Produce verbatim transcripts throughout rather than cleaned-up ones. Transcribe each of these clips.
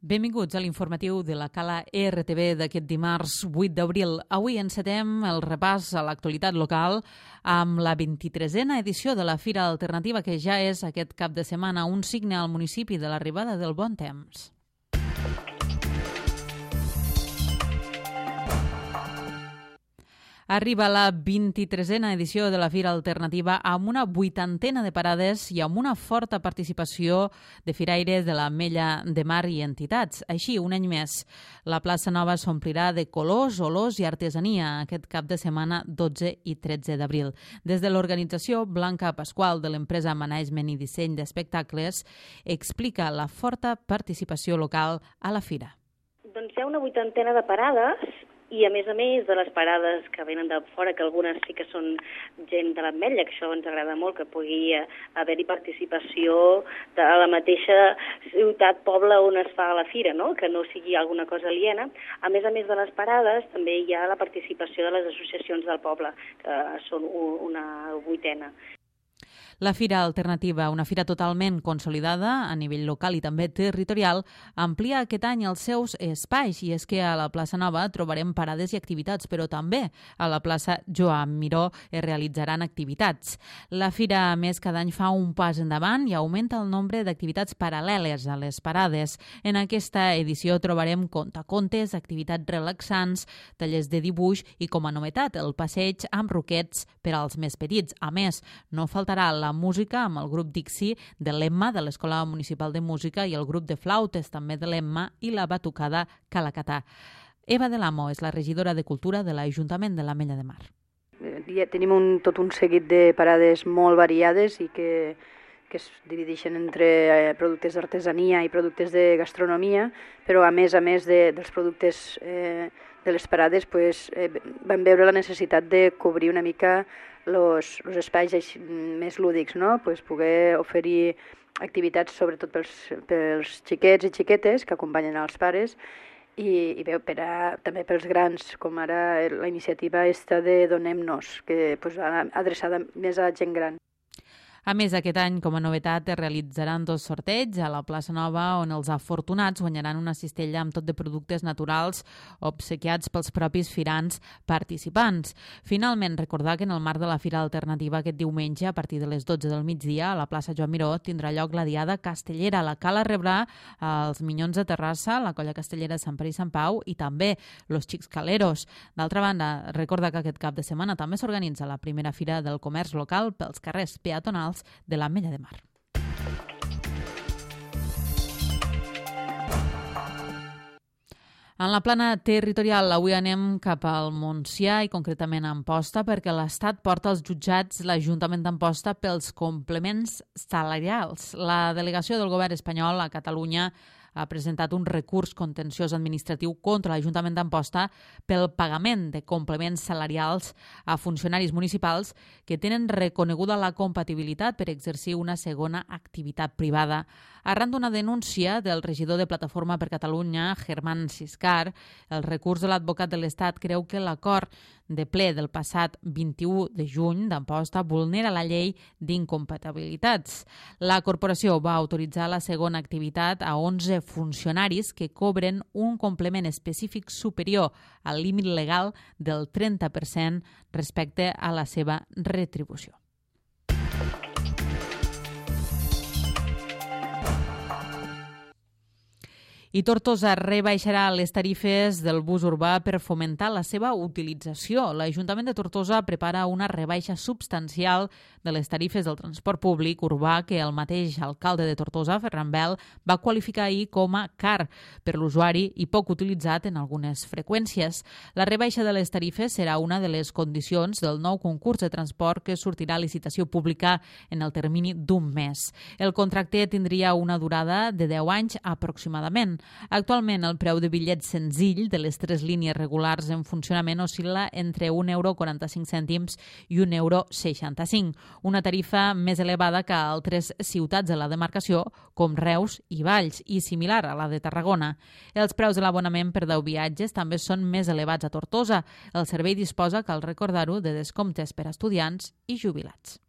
Benvinguts a l'informatiu de la Cala R T V d'aquest dimarts vuit d'abril. Avui encetem el repàs a l'actualitat local amb la vint-i-tresena edició de la Fira Alternativa, que ja és aquest cap de setmana un signe al municipi de l'arribada del bon temps. Arriba la vint-i-tresena edició de la Fira Alternativa amb una vuitantena de parades i amb una forta participació de firaires de l'Ametlla de Mar i entitats. Així, un any més, la plaça Nova s'omplirà de colors, olors i artesania aquest cap de setmana dotze i tretze d'abril. Des de l'organització, Blanca Pasqual, de l'empresa Management i Disseny d'Espectacles, explica la forta participació local a la fira. Doncs hi ha una vuitantena de parades. I, a més a més, de les parades que venen de fora, que algunes sí que són gent de l'Ametlla, que això ens agrada molt, que pugui haver-hi participació de la mateixa ciutat, poble on es fa la fira, no? Que no sigui alguna cosa aliena. A més a més de les parades, també hi ha la participació de les associacions del poble, que són una vuitena. La Fira Alternativa, una fira totalment consolidada a nivell local i també territorial, amplia aquest any els seus espais, i és que a la plaça Nova trobarem parades i activitats, però també a la plaça Joan Miró es realitzaran activitats. La fira, a més, cada any fa un pas endavant i augmenta el nombre d'activitats paral·leles a les parades. En aquesta edició trobarem contacontes, activitats relaxants, tallers de dibuix i, com a novetat, el passeig amb roquets per als més petits. A més, no faltarà la música amb el grup Dixi de l'Emma, de l'Escola Municipal de Música, i el grup de flautes també de l'Emma, i la batucada Calacatà. Eva de l'Amo és la regidora de Cultura de l'Ajuntament de l'Ametlla de Mar. Tenim un, tot un seguit de parades molt variades i que, que es divideixen entre eh, productes d'artesania i productes de gastronomia, però a més a més de, dels productes eh, de les parades pues, eh, vam veure la necessitat de cobrir una mica los, los espais més lúdics, no? Pues poder oferir activitats sobretot pels, pels xiquets i xiquetes que acompanyen els pares i, i bé, per a, també pels grans, com ara la iniciativa esta de Donem-nos, que pues, adreçada més a gent gran. A més, aquest any, com a novetat, es realitzaran dos sorteigs a la plaça Nova, on els afortunats guanyaran una cistella amb tot de productes naturals obsequiats pels propis firants participants. Finalment, recordar que en el marc de la Fira Alternativa aquest diumenge, a partir de les dotze del migdia, a la plaça Joan Miró, tindrà lloc la Diada Castellera. La Cala rebrà els Minyons de Terrassa, la Colla Castellera de Sant Pere i Sant Pau i també los Xics Caleros. D'altra banda, recordar que aquest cap de setmana també s'organitza la primera Fira del Comerç Local pels carrers peatonals de l'Ametlla de Mar. En la plana territorial, avui anem cap al Montsià i concretament a Amposta, perquè l'Estat porta als jutjats l'Ajuntament d'Amposta pels complements salarials. La delegació del govern espanyol a Catalunya ha presentat un recurs contenciós administratiu contra l'Ajuntament d'Amposta pel pagament de complements salarials a funcionaris municipals que tenen reconeguda la compatibilitat per exercir una segona activitat privada. Arran d'una denúncia del regidor de Plataforma per Catalunya, Germán Siscar, el recurs de l'advocat de l'Estat creu que l'acord de ple del passat vint-i-u de juny d'Amposta vulnera la llei d'incompatibilitats. La corporació va autoritzar la segona activitat a onze funcionaris que cobren un complement específic superior al límit legal del trenta per cent respecte a la seva retribució. I Tortosa rebaixarà les tarifes del bus urbà per fomentar la seva utilització. L'Ajuntament de Tortosa prepara una rebaixa substancial de les tarifes del transport públic urbà que el mateix alcalde de Tortosa, Ferran Bel, va qualificar ahir com a car per l'usuari i poc utilitzat en algunes freqüències. La rebaixa de les tarifes serà una de les condicions del nou concurs de transport que sortirà a licitació pública en el termini d'un mes. El contracte tindria una durada de deu anys aproximadament. Actualment, el preu de bitllet senzill de les tres línies regulars en funcionament oscil·la entre un euro quaranta-cinc cèntims i un euro seixanta-cinc, una tarifa més elevada que a altres ciutats de la demarcació, com Reus i Valls, i similar a la de Tarragona. Els preus de l'abonament per deu viatges també són més elevats a Tortosa. El servei disposa, cal recordar-ho, de descomptes per a estudiants i jubilats.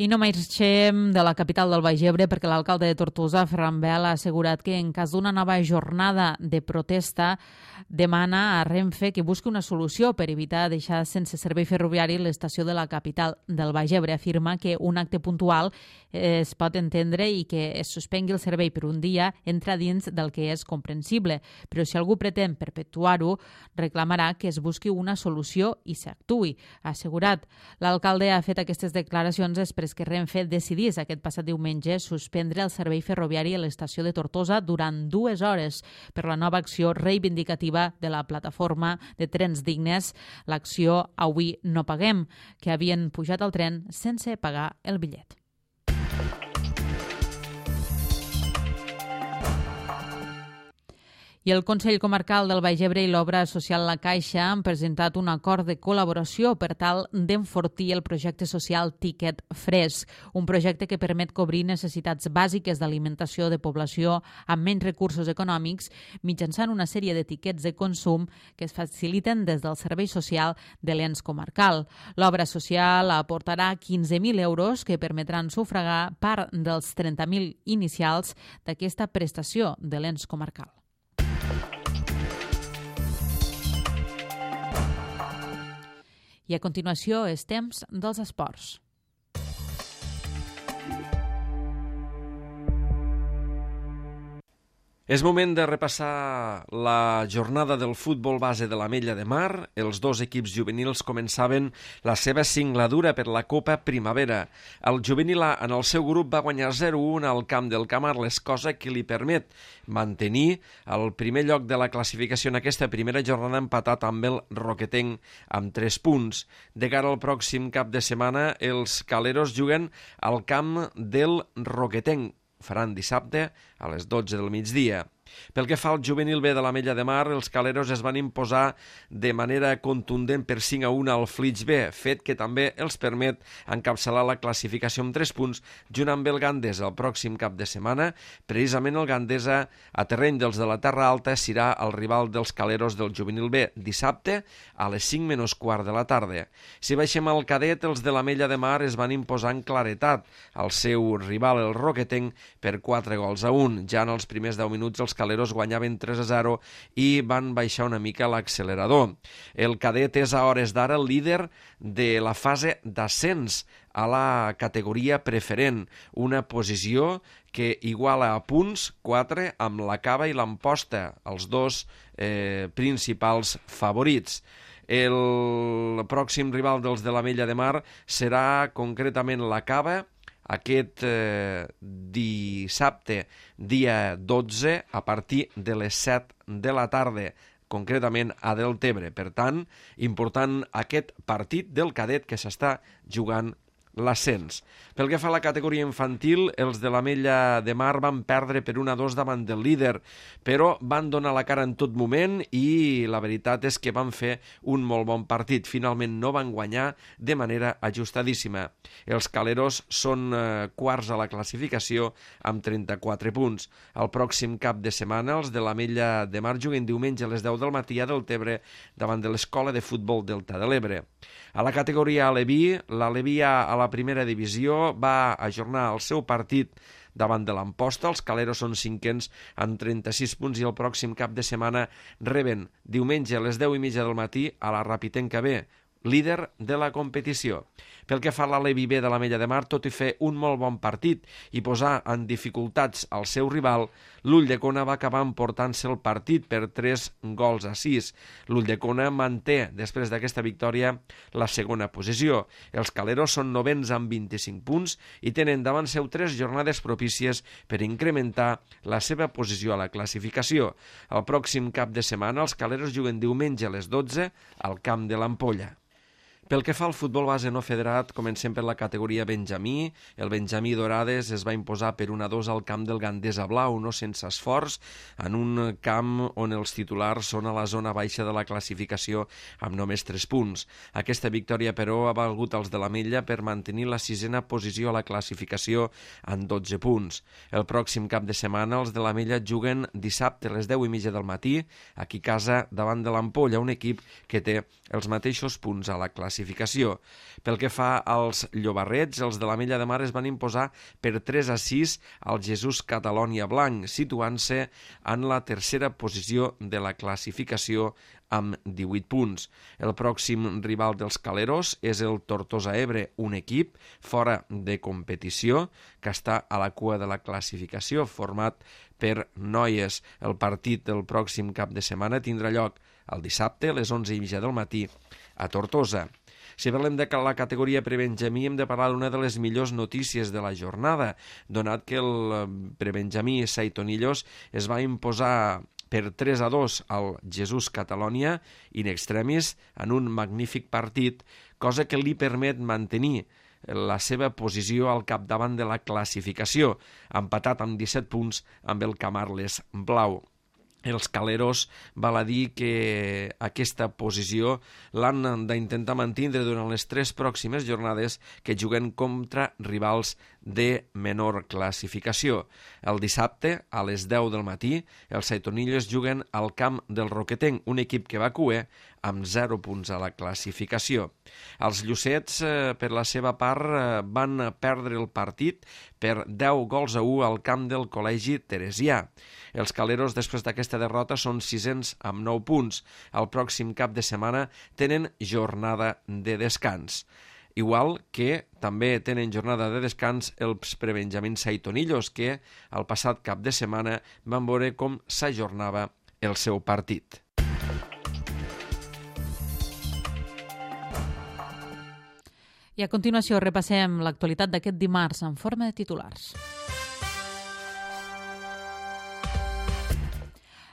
I no marxem de la capital del Baix Ebre perquè l'alcalde de Tortosa, Ferran Bel, ha assegurat que en cas d'una nova jornada de protesta demana a Renfe que busqui una solució per evitar deixar sense servei ferroviari l'estació de la capital del Baix Ebre. Afirma que un acte puntual es pot entendre i que es suspengui el servei per un dia entra dins del que és comprensible, però si algú pretén perpetuar-ho, reclamarà que es busqui una solució i s'actuï, ha assegurat. L'alcalde ha fet aquestes declaracions després que Renfe decidís aquest passat diumenge suspendre el servei ferroviari a l'estació de Tortosa durant dues hores per la nova acció reivindicativa de la plataforma de trens dignes, l'acció Avui no paguem, que havien pujat al tren sense pagar el bitllet. I el Consell Comarcal del Baix Ebre i l'Obra Social La Caixa han presentat un acord de col·laboració per tal d'enfortir el projecte social Tiquet Fresc, un projecte que permet cobrir necessitats bàsiques d'alimentació de població amb menys recursos econòmics mitjançant una sèrie de tiquets de consum que es faciliten des del Servei Social de l'Ens Comarcal. L'Obra Social aportarà quinze mil euros que permetran sufragar part dels trenta mil inicials d'aquesta prestació de l'Ens Comarcal. I a continuació és temps dels esports. És moment de repassar la jornada del futbol base de l'Ametlla de Mar. Els dos equips juvenils començaven la seva singladura per la Copa Primavera. El juvenil A en el seu grup va guanyar zero a un al camp del Camarles, cosa que li permet mantenir el primer lloc de la classificació en aquesta primera jornada empatat amb el Roquetenc amb tres punts. De cara al pròxim cap de setmana, els caleros juguen al camp del Roquetenc. Faran dissabte a les dotze del migdia. Pel que fa al juvenil B de l'Ametlla de Mar, els caleros es van imposar de manera contundent per cinc a un al Flix B, fet que també els permet encapçalar la classificació amb tres punts junt amb el Gandesa. El pròxim cap de setmana, precisament el Gandesa, a terreny dels de la Terra Alta, serà el rival dels caleros del juvenil B dissabte a les cinc menys quart de la tarda. Si baixem al cadet, els de l'Ametlla de Mar es van imposar en claretat al seu rival, el Roquetenc, per quatre gols a un. Ja en els primers deu minuts els caleros guanyaven tres a zero i van baixar una mica l'accelerador. El cadet és a hores d'ara el líder de la fase d'ascens a la categoria preferent, una posició que iguala a punts quatre amb la Cava i l'Amposta, els dos eh, principals favorits. El pròxim rival dels de l'Ametlla de Mar serà concretament la Cava, aquest eh, dissabte, dia dotze, a partir de les set de la tarda, concretament a Deltebre. Per tant, important aquest partit del cadet que s'està jugant l'ascens. Pel que fa a la categoria infantil, els de l'Ametlla de Mar van perdre per un a dos davant del líder, però van donar la cara en tot moment i la veritat és que van fer un molt bon partit. Finalment no van guanyar de manera ajustadíssima. Els caleros són eh, quarts a la classificació amb trenta-quatre punts. El pròxim cap de setmana, els de l'Ametlla de Mar juguen diumenge a les deu del matí a Deltebre davant de l'Escola de Futbol Delta de l'Ebre. A la categoria Aleví, l'Aleví A a la primera divisió va ajornar el seu partit davant de l'Amposta. Els caleros són cinquens amb trenta-sis punts i el pròxim cap de setmana reben diumenge a les deu i mitja del matí a la Rapitenca B, líder de la competició. Pel que fa a l'Aleví B de l'Ametlla de Mar, tot i fer un molt bon partit i posar en dificultats al seu rival, l'Ulldecona va acabar emportant-se el partit per tres gols a sis. L'Ulldecona manté, després d'aquesta victòria, la segona posició. Els caleros són novens amb vint-i-cinc punts i tenen davant seu tres jornades propícies per incrementar la seva posició a la classificació. El pròxim cap de setmana, els caleros juguen diumenge a les dotze al camp de l'Ampolla. Pel que fa al futbol base no federat, comencem per la categoria Benjamí. El Benjamí Dorades es va imposar per un a dos al camp del Gandesa Blau, no sense esforç, en un camp on els titulars són a la zona baixa de la classificació amb només tres punts. Aquesta victòria, però, ha valgut als de l'Ametlla per mantenir la sisena posició a la classificació amb dotze punts. El pròxim cap de setmana, els de l'Ametlla juguen dissabte a les deu i mitja del matí, aquí a casa davant de l'Ampolla, un equip que té els mateixos punts a la classificació. classificació. Pel que fa als llobarrets, els de l'Ametlla de Mar es van imposar per tres a sis al Jesús Catalonia Blanc, situant-se en la tercera posició de la classificació amb divuit punts. El pròxim rival dels caleros és el Tortosa Ebre, un equip fora de competició que està a la cua de la classificació, format per noies. El partit del pròxim cap de setmana tindrà lloc el dissabte a les onze i mitja del matí a Tortosa. Si parlem de la categoria prebenjamí, hem de parlar d'una de les millors notícies de la jornada, donat que el prebenjamí Saitonillos es va imposar per tres a dos al Jesús Catalonia in extremis en un magnífic partit, cosa que li permet mantenir la seva posició al capdavant de la classificació, empatat amb disset punts amb el Camarles Blau. Els caleros val a dir que aquesta posició l'han d'intentar mantindre durant les tres pròximes jornades que juguen contra rivals de menor classificació. El dissabte, a les deu del matí, els Saitonillos juguen al camp del Roquetenc, un equip que va cuer amb zero punts a la classificació. Els Llucets, eh, per la seva part, eh, van perdre el partit per deu gols a u al camp del Col·legi Teresià. Els caleros, després d'aquesta derrota, són sisens amb nou punts. El pròxim cap de setmana tenen jornada de descans. Igual que també tenen jornada de descans els prebenjamins Saitonillos, que el passat cap de setmana van veure com s'ajornava el seu partit. I a continuació repassem l'actualitat d'aquest dimarts en forma de titulars.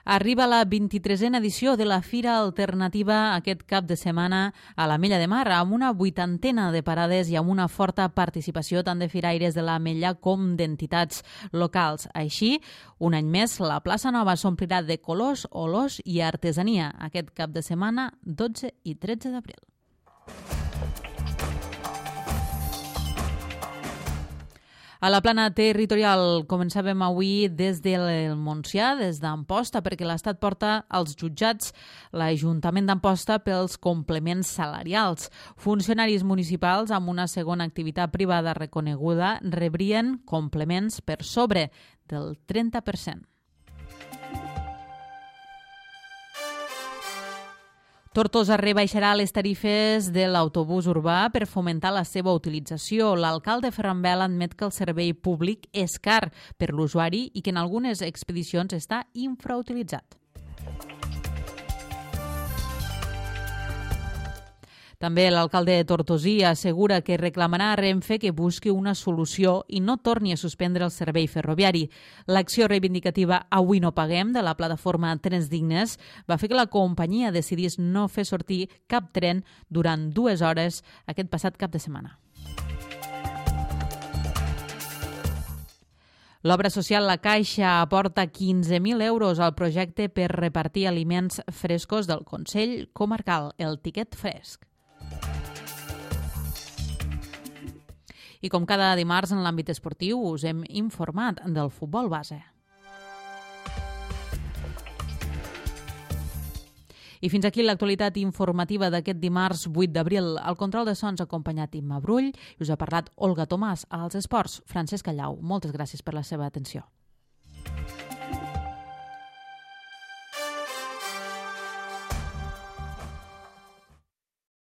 Arriba la vint-i-tresena edició de la Fira Alternativa aquest cap de setmana a l'Ametlla de Mar, amb una vuitantena de parades i amb una forta participació tant de firaires de l'Ametlla com d'entitats locals. Així, un any més, la plaça Nova s'omplirà de colors, olors i artesania aquest cap de setmana dotze i tretze d'abril. A la plana territorial començàvem avui des del Montsià, des d'Amposta, perquè l'Estat porta als jutjats l'Ajuntament d'Amposta pels complements salarials. Funcionaris municipals amb una segona activitat privada reconeguda rebrien complements per sobre del trenta per cent. Tortosa rebaixarà les tarifes de l'autobús urbà per fomentar la seva utilització. L'alcalde Ferran Bel admet que el servei públic és car per l'usuari i que en algunes expedicions està infrautilitzat. També l'alcalde de Tortosí assegura que reclamarà a Renfe que busqui una solució i no torni a suspendre el servei ferroviari. L'acció reivindicativa Avui no paguem de la plataforma Trens Dignes va fer que la companyia decidís no fer sortir cap tren durant dues hores aquest passat cap de setmana. L'obra social La Caixa aporta quinze mil euros al projecte per repartir aliments frescos del Consell Comarcal, el Tiquet Fresc. I com cada dimarts en l'àmbit esportiu us hem informat del futbol base. I fins aquí l'actualitat informativa d'aquest dimarts vuit d'abril. Al control de sons ha acompanyat Imma Brull i us ha parlat Olga Tomàs. Als esports, Francesc Callau. Moltes gràcies per la seva atenció.